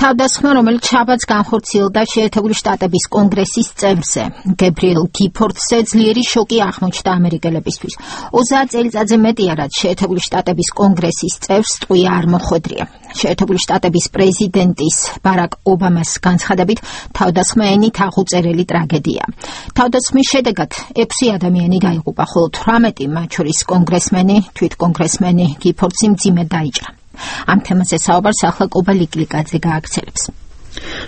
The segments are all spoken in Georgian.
თავდასხმა, რომელიც შაბათს განხორციელდა შეერთებული შტატების კონგრესის წევრზე, გებრიელ გიფორდზე ძლიერი შოკი აღმოჩნდა ამერიკელებისთვის. 30 წელიწადზე მეტია, რაც შეერთებული შტატების კონგრესის წევრს ტყვია არ მოხვედრია. შეერთებული შტატების პრეზიდენტის ბარაკ ობამას განცხადებით, თავდასხმა ენით აღუწერელი ტრაგედია. თავდასხმის შედეგად 6 ადამიანი დაიღუპა, ხოლო 18, მათ შორის კონგრესმენი, თვითკონგრესმენი გიფორდსი მძიმედ დაიჭრა. ამ თემაზე საუბარს ახლა კუბა ლიკლიკაძე გააგრძელებს.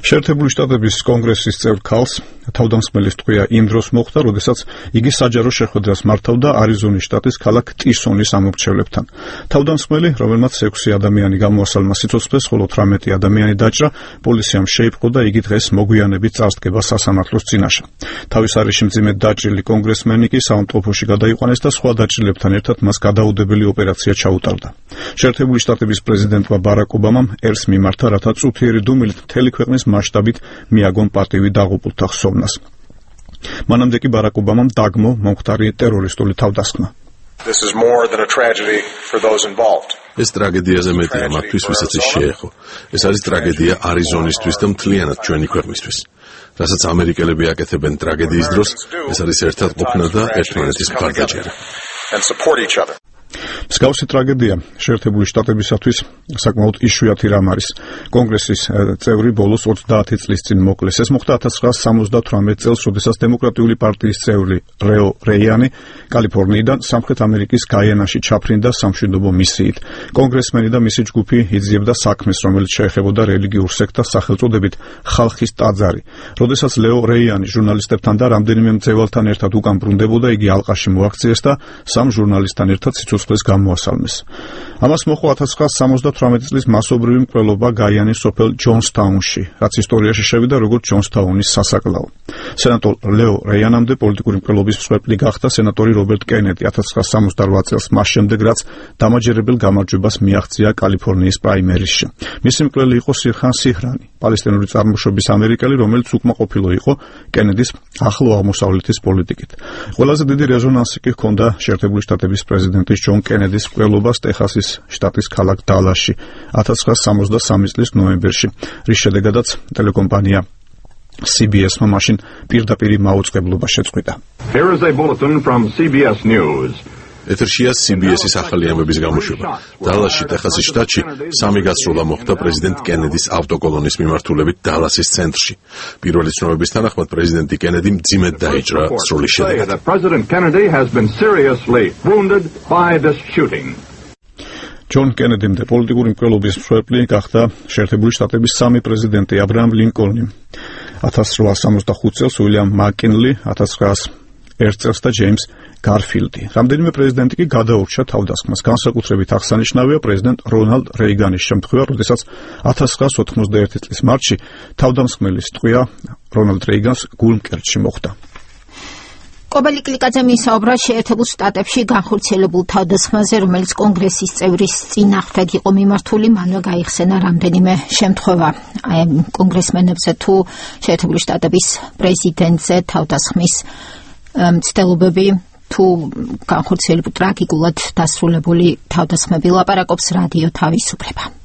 შეერთებული შტატების კონგრესის წევრ ქალს თავდამსხმელის ტყვია იმ დროს მოხდა, როდესაც იგი საჯარო შეხვედრას მართავდა არიზონის შტატის ქალაქ ტისონის ამორჩევლებთან. თავდამსხმელი, რომელმაც 6 ადამიანი გამოასალმა სიცოცხლეს, ხოლო 18 ადამიანი დაჭრა, პოლიციამ შეიპყრო და იგი დღეს მოგვიანებით წარსდგება სასამართლოს წინაშე. თავის არეში მძიმედ დაჭრილი კონგრესმენი კი საავადმყოფოში გადაიყვანეს და სხვა დაჭრილებთან ერთად მას გადაუდებელი ოპერაცია ჩაუტარდა. შეერთებული შტატების პრეზიდენტმა ბარაკ ობამამ ერს მიმართა, რათა წუთიერი დუმილით მთელი ქვეყნის მასშტაბით მიაგონ პატივი დაღუპულთა ხსოვნას. მანამდე კი ბარაკ ობამამ დაგმო მომხდარი ტერორისტული თავდასხმა. ეს ტრაგედიაზე მეტია მათთვის, ვისაც ის შეეხო. ეს არის ტრაგედია არიზონისთვის და მთლიანად ჩვენი ქვეყნისთვის. რასაც ამერიკელები აკეთებენ ტრაგედიის დროს, ეს არის ერთად ყოფნა და ერთმანეთის მხარდაჭერა. მსგავსი ტრაგედია შეერთებული შტატებისათვის საკმაოდ იშვიათი რამ არის. კონგრესის წევრი ბოლოს 30 წლის წინ მოკლეს. ეს მოხდა 1978 წელს, როდესაც დემოკრატიული პარტიის წევრი ლეო რეიანი კალიფორნიიდან სამხრეთ ამერიკის გაიანაში ჩაფრინდა სამშვიდობო მისიით. კონგრესმენი და მისი ჯგუფი იძიებდა საქმეს, რომელიც შეეხებოდა რელიგიურ სექტას სახელწოდებით ხალხის ტაძარი. როდესაც ლეო რეიანი ჟურნალისტებთან და რამდენიმე მძევალთან ერთად უკან ბრუნდებოდა, იგი ალყაში მოაქციეს და 3 ჟურნალისტთან ერთად სიცოცხლეს გამოასალმეს. ამას მოჰყვა 1978 წლის მასობრივი მკვლელობა გაიანის სოფელ ჯონსტაუნში, რაც ისტორიაში შევიდა როგორც ჯონსტაუნის სასაკლაო. სენატორ ლეო რეიანამდე პოლიტიკური მკვლელობის მსხვერპლი გახდა სენატორი რობერტ კენედი 1968 წელს, მას შემდეგ რაც დამაჯერებელ გამარჯვებას მიაღწია კალიფორნიის პრაიმერისში. მისი მკვლელი იყო სირხან სიჰრანი, პალესტინური წარმოშობის ამერიკელი, რომელიც უკმაყოფილო იყო კენედის ახლო აღმოსავლეთის პოლიტიკით. ყველაზე დიდი რეზონანსი კი ჰქონდა შეერთებული შტატების პრეზიდენტის ჯონ კენედის მკვლელობას ტეხასის შტატის ქალაქ დალასში 1963 წლის ნოემბერში, რის შედეგადაც ტელეკომპანია CBS-მა მაშინ პირდაპირი მაუწყებლობა შეწყვიტა. ეთერშია CBS-ის ახალი ამბების გამოშვება. დალასში, ტეხასის შტატში 3 გასროლა მოხდა პრეზიდენტ კენედის ავტოკოლონის მიმართულებით დალასის ცენტრში. პირველი ცნობების თანახმად პრეზიდენტი კენედი მძიმედ დაიჭრა სროლის შედეგად. ჯონ კენედიმდე პოლიტიკური მკვლელობის მსხვერპლი გახდა შეერთებული შტატების 3 პრეზიდენტი აბრაამ ლინკოლნი 1865 წელს, უილიამ მაკინლი 1901 წელს და ჯეიმს გარფილდი. რამდენიმე პრეზიდენტი კი გადაურჩა თავდასხმას. განსაკუთრებით აღსანიშნავია პრეზიდენტ რონალდ რეიგანის შემთხვევა, როდესაც 1991 წლის მარტში თავდამსხმელის ტყვია რონალდ რეიგანს გულმკერდში მოხდა. კუბა ლიკლიკაძემ ისაუბრა შეერთებულ შტატებში განხორციელებულ თავდასხმაზე, რომელიც კონგრესის წევრის წინააღმდეგ იყო მიმართული, მანვე გაიხსენა რამდენიმე შემთხვევა. კონგრესმენებზე თუ შეერთებული შტატების პრეზიდენტზე თავდასხმის მცდელობები თუ განხორციელებული ტრაგიკულად დასრულებული თავდასხმები, ლაპარაკობს რადიო თავისუფლება.